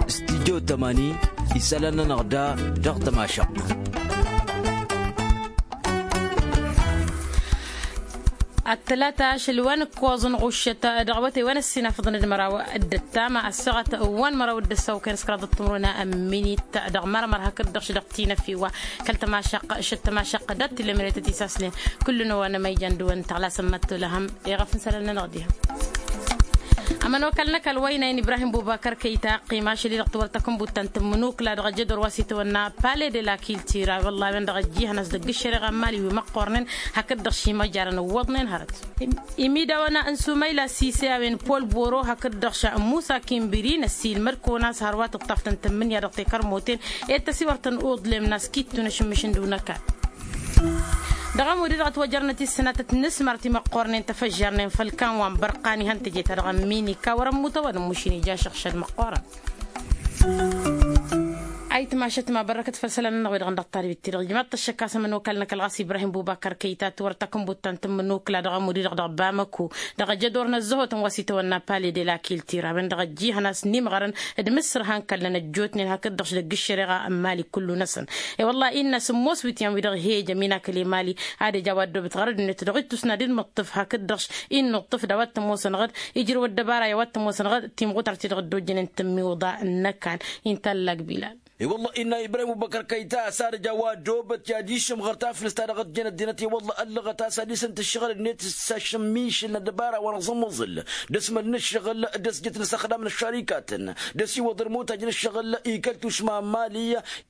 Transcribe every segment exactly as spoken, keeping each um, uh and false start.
Studyo tămani isălan-nănăɣ da dăɣ-tămašăɣt. Ăttălata ašăl wa n-ǝkkoẓăn ɣuššăt dăɣ-awătay wa n-ăssinafăḍăn d-măraw d-ăttama ăssaɣăt wa n-măraw d-ăssawkăn s-kăraḍăt timǝrwen n-minit dăɣ-mărmăr hakd-dăɣ šădăɣ tinăfiwa kăl-tămašăɣt šăt tămašăɣt dat-tǝllemre tăt-isaslen. Kull-năwăn ma ijăn dăɣ-wăn tăɣlasăn măttolăhăm iɣăf n-isălan-nănăɣ diha. Ămănokal n-ăkall wa ina-in ibrahim bubakăr kăyy-ta ăqqim ašăl-i-dăɣ tiwăr takǝnbut ta n-tǝmmǝnukla dăɣ-ajădor wa s-itawănna pale de la kiltira wălla a-wen-dăɣ ăjjihăn a-s dăgg-ǝššăreɣa n-mali wi măqqornen hakd-dăɣ šimăjarăn ǝwwăḍnen hărăt. Imidawăn n-sumayla sise a-wen pol boro hakd-dăɣ ša n-musa kimbiri n-ăssiilmăd-kăwăn a-s hărwa tǝṭṭaf-tăn tǝmmǝnǝya dăɣ-tekărmoten ed tăsiwăr-tăn uḍlem n-a-s kittu n-ašǝmmǝš n-dăw n-ăkall. Dăɣ-ămud-i-dăɣ ătwăjărnăt i-ǝssǝnatăt n-asmart imăqqornen tăfăžžarnen făll-kan wa n-bărqan ihăn teje-ta-dăɣ n-minika wăr-ămmut a-wa n-ămmušin ija ašăɣšad măqqoorăn. Ayǝtmašăt ma bărrăkăt făll-isălan-nănăɣ wi-dăɣ n-dăɣ-talbit-ti-dăɣ ijmaḍ-t ăššăk a-s ămănokal n-ăkall ɣas ibrahim bubakăr kăyy-ta tiwăr takǝnbut ta n-tǝmmǝnukla dăɣ-ămud-i-dăɣ dăɣ-bamăko dăɣ-ajădor n-ăzzăhotăn wa s-itawănna pale de la kiltira a-wen-dăɣ ăjjihăn a-s n-imɣărăn d-imǝssǝrhan kăllăn ăjjootnen hakd-dăɣ s-dăgg-ǝššăreɣa n-mali kullu-năsăn. I-wălla-i innă-s ămoos wi t-yan-wi-dăɣ he-ija ăminakăl i-mali ad-ija a-wa ăddoobăt ɣărăd-net dăɣ-ittus n-ad-innuṭṭǝf hakd-dăɣ-s innuṭṭǝf d-a-wa t-ămoosăn ɣǝd ijrǝw ăddăbara i-a-wa t-ămoosăn ɣǝd timɣutart-i-dăɣ dd-ojjănen tǝmmiwǝḍa n-ăkall. Inta ăllak bilal. I-wălla innă ibrahim ubăkăr kăyy-ta a-s ad-ija a-wa ăddoobăt i-ad-išǝmɣăr taflǝst-ta-dăɣ ăjjănăt dinăt i-wălla ăllăɣăt a-s ad-isǝnt ǝššăɣǝl-net s-ašǝmmišǝl n-ăddăbara wa n-aẓǝmmăẓǝl d-asmăl n-ǝššăɣǝl d-asjăt n-asăxdam n-ăššarikatăn d-asiwăḍ ălmutaj n-ǝššăɣǝl ikaltuš ma n-mali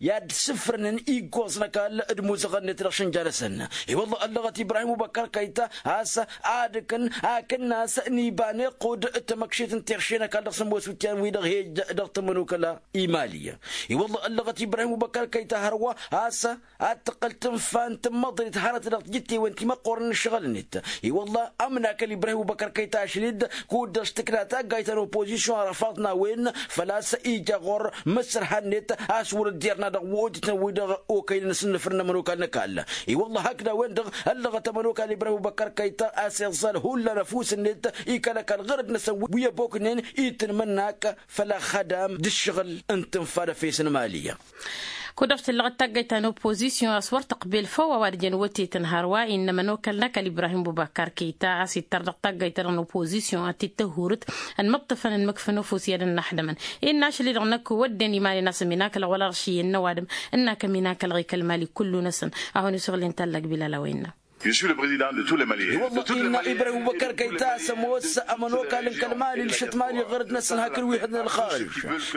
i-ad-sǝfrănăn iggoẓ n-ăkall d-imuzăɣăn-net dăɣ-išǝnja-năsăn. I-wălla ăllăɣăt ibrahim ubăkăr kăyy-ta a-s ad-ǝkǝn akǝnnas n-iba n-iqqud d-tamăkšit n-tiɣše n-ăkall dăɣ-sămoos wǝtyan-wi-dăɣ he-ija dăɣ-tămănokăla i-mali. I-wălla ăllăɣăt ibrahim ubăkăr kăyy-ta hărwa a-s ad-tǝqqǝl tǝnfa n-tǝmmăḍrit hărăt dăɣ-tijǝttewen timăqqorăn n-ǝššăɣǝl-net. I-wălla ămnakăl ibrahim ubăkăr kăyy-ta ašăl-dd kud-dăɣ s-tǝkna taggayt ta n-opozisyon arăfaḍ n-a-wen făl-a-s ija ɣur-mǝssărha-net a-s wăr-dd-irna dăɣ-wotităn-wi-dăɣ okăynen s-ǝnnǝfrǝn n-ămănokal n-ăkall. I-wălla hakd a-wen-dăɣ ăllăɣăt ămănokal ibrahim ubăkăr kăyy-ta a-s iẓẓal hullan ăfuss-net i-kăl-ăkall ɣărăt-năsăn wi ăboknen itǝnmǝnnak făll-ăxxădam d-ǝššăɣǝl n-tǝnfa d-efes n-mali. Kud-dăɣ tǝllăɣăt taggayt ta n-opozisyon a-s wăr tăqbel făw a-wa d-jăn wătetăn hărwa innă ămănokal n-ăkall ibrahim bubakar kăyy-ta a-s ittăr dăɣ-taggayt-ta-dăɣ n-opozisyon ad-t-dd-tăhhurǝt ănmǝṭṭǝfăn ănmǝkfăn ăfuss i-ad-ănnăxdămăn. Innă ašăl-i-dăɣ năkk wădden iman-i n-asăm inakălăɣ wăla ărši i-ănnăwadǝm ǝnnakăm inakălăɣ i-kăl-mali kullu-năsăn. A hon-isuɣǝl inta ăllak bilal a-wa innă. I-wălla innă ibrahim ubăkăr kăyy-ta a-s ămoos ămănokal n-kăl-mali d-ašăt mali ɣărăt-năsăn hakd wi hădden ălxarǝj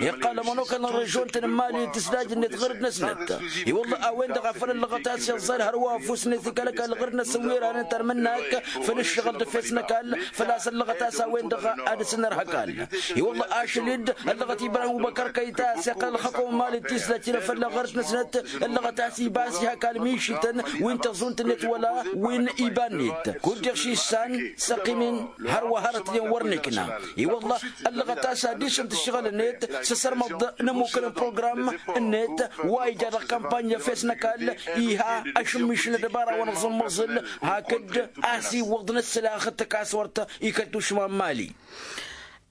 iqqal ămănokal n-režon-tăn n-mali d-tǝsdaj-net ɣărăt-năsnăt. I-wălla a-wen-dăɣ a făl ăllăɣăt a-s iẓẓal hărwa ăfuss-net i-kăl-ăkall ɣărăt-năsăn wi ranen tărmǝnnak făll-ǝššăɣǝl d-efes n-ăkall făl-a-s ăllăɣăt a-s a-wen-dăɣ ad-dăr-s ănnărha ăkall. I-wălla ašăl-dd ăllăɣăt ibrahim ubăkăr kăyy-ta a-s iqqăl ălxăkom n-mali d-tisdajt-i n-efălla ɣărăt-năsnăt ăllăɣăt a-s ibas-i hakal mišǝtăn wi n-tăẓunt-net wăla wi n-iba-net kud-dăɣ šissan s-ăqqim-in hărwa hărăt-nen wăr n-ikna. I-wălla ăllăɣăt a-s ad-isǝnt ǝššăɣǝl-net s-asărmăḍ n-ămmukăn n-program-net wa ija dăɣ-kampany efes n-ăkall iha ašǝmmiš n-ăddăbara wa n-aẓǝmmăẓǝl hakd a-s iwwăḍ n-ǝssǝlax d-takaswărt ikăl tušma n-mali.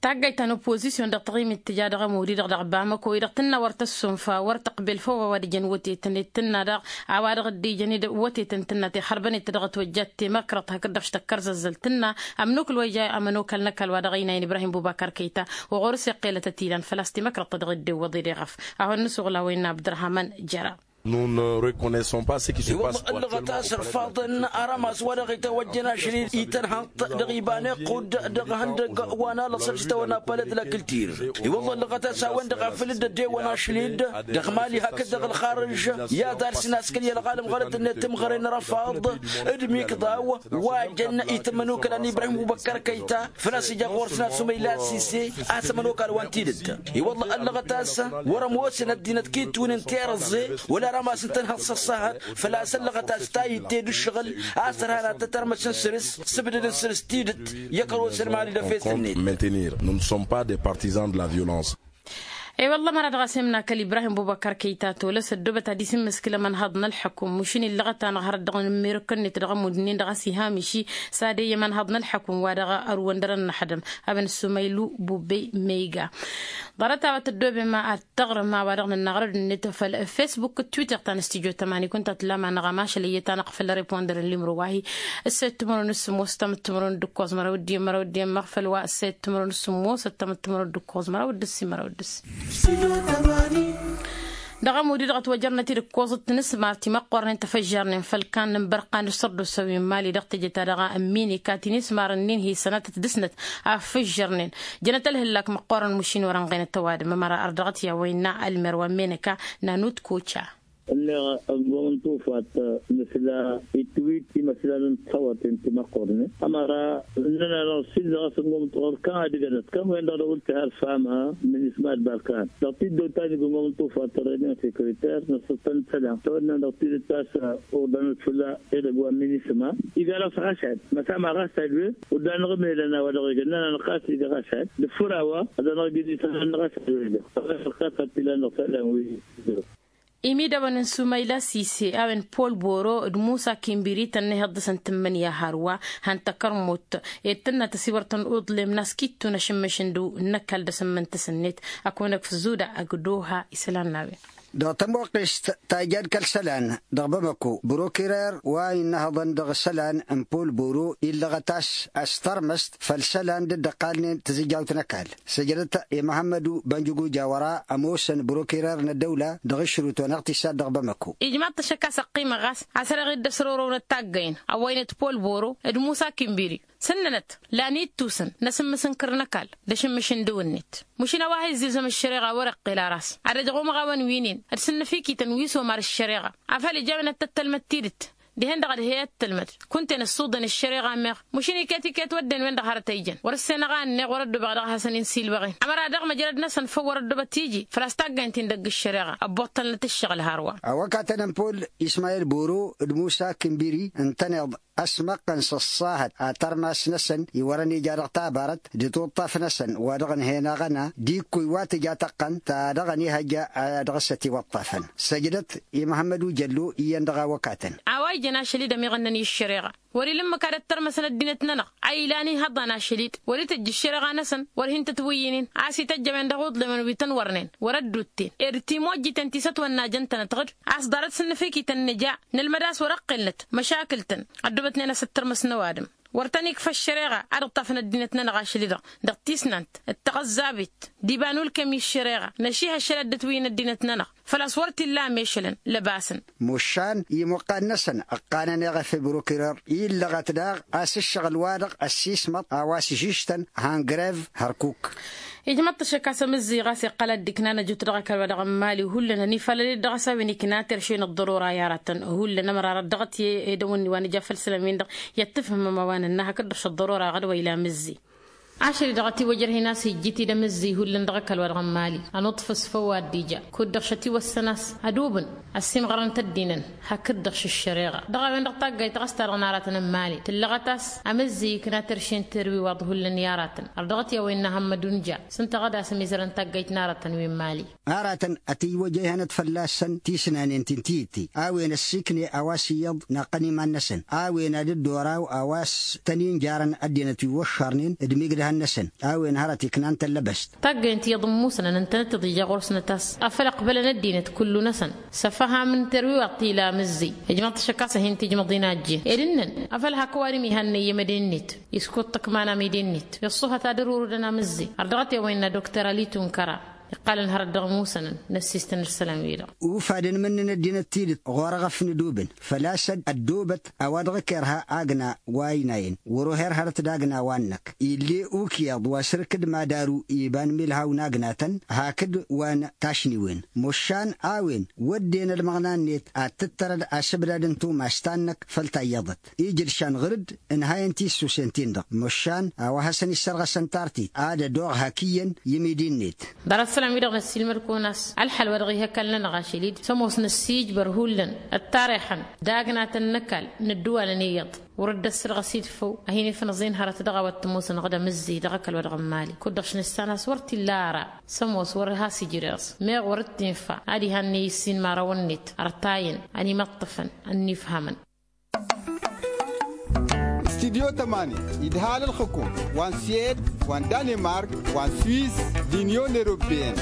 Taggayt ta n-oppozisyon dăɣ-taɣimit tǝja dăɣ-ămud-i-dăɣ dăɣ-bamăko-i-dăɣ tǝnna wăr tăssunfa wăr tăqbel făw a-wa d-ijăn wătetăn d-tǝnna daɣ a-wa dăɣ-dd-ijăn wătetăn tǝnna tixărbăn-dd-tădăɣ ătwăjjat temăkrăḍt hakd-dăɣ s-tăkkărzăzzăl tǝnna ămnukǝl wa ija ămănokal n-ăkall wa dăɣ-ăynayăn ibrahim bubakar kăyta. Ɣur-s iqqelăt ătilan făl-a-s temăkrăḍt ta dăɣ-dd-iwwăḍ-dd iɣăf. A hon-nǝsuɣǝl a-wa innă abdărhaman jăra. Nous ne reconnaissons pas ce qui se passe actuellement. Iwăḍ ăllăɣăt a-s ărfaḍăn arămas wa dăɣ-itawăjjăn ašăl-i itărhăḍ dăɣ-iba n-iqqud dăɣ-ihăndăg wa n-alăṣăr s-itawănna paled la kǝltir. Iwăḍ ăllăɣăt a-s a-wen-dăɣ a făl dd-ăddewăn ašăl-i-dd dăɣ-mali hakd dăɣ-ălxarǝž i-ad-arsǝn a-s kăl-i ălɣalăm ɣărăt-net timɣăre n-arăfaḍ d-imikḍaw wa jăn itǝmmăn ukăla n-ibrahim ubăkkăr kăyta. Făl-a-s ija ɣur-s n-ad-sumăyla sise a-s ămănokal wa n-tidǝt. I-wălla ăllăɣăt a-s wăr-ămoosăn ăddinăt kitwǝnǝn tirǝẓẓe wăla arămas n-tănhăḍ s-ăṣṣahăt. Făl-a-s ăllăɣăt a-s tayǝtte d-ǝššăɣǝl a-s ărhanat tărmăsăn săr-s sǝbdădăn săr-s tidǝt. I-ăkăros ălmali d-efes-net. Maintenir nous ne sommes pas des partisans de la violence. I-wălla ămăra dăɣ-asem n-akăl ibrahim bubăkar kăyta tolăs ăddoobăt ad-isǝmmǝskǝl ămănhăḍ n-ălḥăkum mašin illăɣăt-anăɣ hărăt dăɣ-nǝmmirăkăn-net dăɣ-amud-nin dăɣ-a-s iha miši. S-ad-e i-ămănhăḍ n-ălḥăkum wa dăɣ-ărwăn dăr-ănnăxdăm. A-wen ăssumaylu bubey meyga ḍarăt-a-wa tăddoobem ad-tăɣrǝm a-wa dăɣ-nǝnnaɣrăd-net făll-fesbuk d-twitter ta n-studyo tămani kunta tǝllam-anăɣ amašăl iyyăt-anăɣ făll-repondăr n-limro wa hi-ǝssăyăt timǝrwen s-sǝmmos ăttămăt timǝrwen d-ǝkkoẓ măraw d-iyyăn măraw d-iyyăn măɣfăl wa ǝssăyăt timǝrwen s-sǝmmos ăttămăt timǝrwen d-ǝkkoẓ măraw d-ǝssin măraw d-ǝssin. Dăɣ-amudi-dăɣ ătwăjărnăt-dd ǝkkoẓăt tinǝsmar timăqqornen tăfăžžarnen făll-kan n-inbărqan d-sărdusa wi n-mali dăɣ-teje-ta-dăɣ n-minika tinǝsmar-nin hi-sănatăt dăr-snăt a făžžărnen. Jănăt ălhǝllak măqqorăn mašin wăr-ănɣăynăt ăwadǝm ămăra ărdăɣăt i-a-wa innă ălmer wa n-minika n-anut koca. Ǝnneɣ ăngomm n-tufat nǝsla itwit imăslan n-tihăwăten timăqqornen ămăra ǝnnăn-anăɣ s-illăɣ a-s ăngomm n-tufat kăwăn-dăɣ dăɣ-wăr tihăl fama n-isma d-balkan dăɣ-tiddăwt ta n-igǝngomm n-tufat tărrăynen sekreter n-ăssăttăn n-isălan tăwănnan dăɣ-tidǝt ta s-uḍanăt fălla edăgg wa n-minisma. Iga dăɣ-s ɣašad măsama ɣašad wen uddan-năɣ ămelăn a-wa dăɣ-egăn nănăɣ-năɣ ɣas iga ɣašad d-făr a-wa ad-anăɣ-ijăn isălan n-ɣašad wen-dăɣ ɣas ălxas ad-t-ilan dăɣ-isălan wi. Imidăwăn n-sumayla sise a-wen pol boro d-musa kimbiri tănnăheḍ dăɣ-săn tǝmmǝnǝya hărwa. Han tăkărmut ed tǝnna tăsiwăr tăn-uḍlem n-askittu n-ašǝmmǝš n-dăw n-ăkall dăɣ-sǝmmǝntǝs-net. Ăkăwănăk făzzuda ăgg doha isălan n-a-wen. Dăɣ-tămoqqest ta ija d-kăl-isălan dăɣ-bamăko brokirer wa innăhăḍăn dăɣ-isălan n-pol boro illăɣăt a-s ăstărmăst făll-isălan dd-ăqqalnen tǝzǝjjawt n-ăkall. Săjdăt i-măhămmădu bănjǝguja wăr-a ămoosăn brokirer n-ăddăwla dăɣ-išrǝwt wa n-iɣtisad dăɣ-bamăko. Ijmaḍ-t ašăk a-s ăqqimăɣ ɣas a-s ăreɣ-dd ăsrorăwnăt taggăyăn ăwwăynăt pol boro d-musa kimbiri. Sǝnnănăt lan ittusăn n-asǝmmǝs n-kăr n-ăkall d-ašǝmmǝš n-dăw-net. Măšin a-wa ha-izzilzăm ăššăreɣa wăr-iqqel ara-s ad-ăjăɣ umăɣawăn wi-nin d-sǝnnăfikităn wi s-omar ăššăreɣa. Afăl ija a-wen ad-tăt-tălmăd tidǝt dihen-dăɣ ad-he-ăttălmăd kunta-en ǝssuḍen ăššăreɣa meɣ. Măšin iket-iket wădden-wen-dăɣ hărăt a ijăn wăr-ǝssenăɣ a ǝnneɣ wăr-ăddobăɣ dăɣ-hasăn-in-silwăɣen ămăra daɣ măjrăd-năsăn făw wăr-ăddobăt iji. Făl-a-s taggaynt-in dăgg-ǝššăreɣa ăbboṭṭălnăt ǝššăɣǝl hărwa. Awăkatăn n-pol ismayil boro d-musa kimbiri ǝntăneḍ ăsmăqqăn s-ăṣṣahăt ad-tărmas-năsăn iwărăn ija dăɣ-tabarăt d-tuṭṭaf-năsăn wa dăɣ-ǝnhen aɣăna d-ikkuy wa tǝja tăqqăn ta dăɣ-ănihăjja. Ad-dăɣ-s ătiwăṭṭafăn săjdăt i-măhămmăd ujăllu iyyăn dăɣ-awăkatăn. A-wa ijăn ašăl-i d-ămiɣănnăn i-ăššăreɣa wăr-ila ǝmmǝk ad-ăttărmăsăn ăddinăt-nănăɣ a ilan ihăḍḍan ašăl-i-dd wăr-itǝjj ăššăreɣa-năsăn. Wăr hin-tătwǝyyǝynen a-s ităjj a-wen dăɣ-uḍlem n-wi tăn-wărnen wăr-ăddutten ed timojjiten ti s-ătwănna jăn-tănăt ɣǝd a-s ḍarăt s-ǝnnǝfikităn nǝja nǝlmăd a-s wăr-ăqqelnăt măšakǝl-tăn. Ăddubătnen a-s ǝttărmăs n-ăwadǝm wăr tăn-ikfa ăššăreɣa ad-ǝṭṭafăn ăddinăt-nănăɣ ašăl-i-dăɣ dăɣ-tisnant d-taɣăzzabit d-iba n-ulkem i-ăššăreɣa năših ašăl ad-dd-ătwǝyyǝn ăddinăt-nănăɣ. Făl-a-s wăr t-illa amešălăn lăbasăn. Mušan imuqqan-năsăn ǝqqanăn eɣăf i-brukirer illăɣăt daɣ a-s ǝššăɣǝl-wa-dăɣ ăssiismăḍ a-wa s-žǝžtăn hangrev hărkuk. Ijmăḍ-t ăššăk a-s amǝzzi ɣas iqqăl ad-dd-iknan ăjut dăɣ-ăkall-wa-dăɣ n-mali hullan ănifalăl-dd dăɣ-s a-wen ikna terše n-ăḍḍărora i-aratăn hullan ămăra dăɣ-t i-edăwănni wa n-ija făll-isălan-win-dăɣ i-ăttǝfhǝmăm a-wa nǝnna hakd-dăɣ šăḍḍărora ɣad wa ila amǝzzi. Ašăl-i-dăɣ ătiwăjrăh-in a-s ijjǝt-dd amǝzzi hullan dăɣ-ăkall-wa-dăɣ n-mali ănuṭṭfǝs făw wa dd-ija kud-dăɣ šătiwăssăn a-s ădubǝn ăssiimɣărăn-t ăddinăn hakd-dăɣ šǝššăreɣa dăɣ-a-wen-dăɣ taggayt ɣas ta dăɣ-naratăn n-mali tǝllăɣăt a-s amǝzzi ikna terše n-terwiwaḍ hullan i-aratăn. Ărdăɣăt i-a-wa innă hămmădun ja s-ǝnta ɣad a-s ămizărăn taggayt n-aratăn wi n-mali. Aratăn ătiwăjăyhănăt fălla-săn tisnanen ti n-tiyǝtte a-wen ăssiikne a-wa s-iyyăḍ naqqăn iman-năsăn a-wen ad-dd-oraw a-wa s-tăn-injarăn ăddinăt wi wăššarnen d-imigdăhăn-năsăn a-wen hărăt iknan tăllăbăst. Taggăyăn tiyyăḍ n-musnăn ǝntănăt iḍija ɣur-snăt a-s afăl ăqbălăn ăddinăt kullu-năsăn s-afăham n-terwiwaḍt ti ila amǝzzi. Ijmăḍ-t ašăk a-s ad-hin-tijmăḍ-in a ăjjeen ed ǝnnăn afăl hak ăwadǝm ihannăy i-mădennit iskud tǝkman amidennit iṣṣuhăt ad-ărurǝdăn amǝzzi. Ărdăɣăt i-a-wa innă dokter ali tunkăra iqqalăn hărăt dăɣ-imusănăn n-ăssistăn isălan-wi-dăɣ. Ufadăn imǝnnǝn ăddinăt tidǝt ɣur-eɣăf n-ădubǝn făl-a-s ăddoobăt a-wa dăɣ-ăkerha agna wa ăynayăn wăr-oher hărăt d-agna wa n-năkk ill'-e ukǝyaḍ wa s-ărkǝd mad-aru iba n-imǝlhaw n-agnatăn hakd wa n-tašniwen. Măšan a-wen wădden ălmăɣna-net ad-tǝttărăd asǝbdad n-tumas ta n-năkk făll-tayyăḍăt ijǝlšan ɣǝr-dd ǝnhayăn tissusen-tin-dăɣ măšan a-wa hasăn-issărɣăsăn tartit ad-ădoɣ hak iyyăn i-imidi-net. Ḍarăt. Isălan-wi-dăɣ năssiilmăd-kăwăn a-s ălxăl wa dăɣ-ihăkall-nănăɣ ašăl-dd sămoos năssiijbăr hullan ăṭṭarixăn, dagnatăn n-ăkall n-ăddǝwalăn iyyăḍ wăr-dd-ăssărɣăs idfăw. A hin-ifnăẓ-in hărăt dăɣ-a-wa t-ămoosăn ɣǝd amǝzzǝy dăɣ-ăkall-wa-dăɣ n-imali kud-dăɣ š-nǝssan a-s wăr t-illa ara. Sămoos wăr-has-ijreẓ meɣ wăr t-infa ad-iha n-e-issin imărawăn-net ărtayăn ănimăṭṭăfăn ănnifhamăn. Studyo tămani idhal ǝlxǝkum wa n-suwed, wa n-danemark, wa n-suwis, d-inyon europeyăn.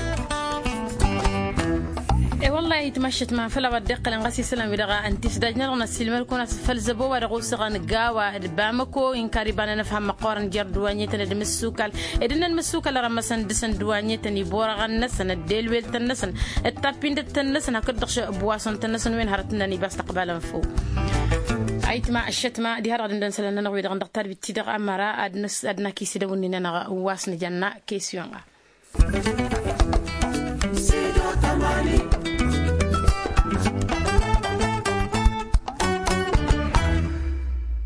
E-wălla-hi ayǝtma ăššătma făll-a-wa dd-iqqălăn ɣas isălan-wi-dăɣ ǝnta isdajnen-dăɣ n-ăssiilmăd-kăwăn a-s făll-zăbo wa dăɣ-osăɣăn gawa d-bamăko inkar iba n-enăfham măqqoorăn jer-dd wa n-iyyătăn d-imǝssukal ed ǝnnăn imǝssukal ărămmăsăn dăɣ-săn d-wa n-iyyătăn iborăɣăn-năsăn ăddel weltăn-năsăn d-tappindăt-tăn-năsăn hakd-dăɣ š-ăbwasăn-tăn-năsăn wen hărăt ǝnnan iba s-tăqbalăn făw. Ayǝtma ăššătma diha-dăɣ dăndăn isălan-nănăɣ wi-dăɣ n-dăɣ-tarbit-ti-dăɣ ămăra ad-năs ad-nakis idăwǝnni-nănăɣ wa s-nǝjănna kesiyon-ɣa.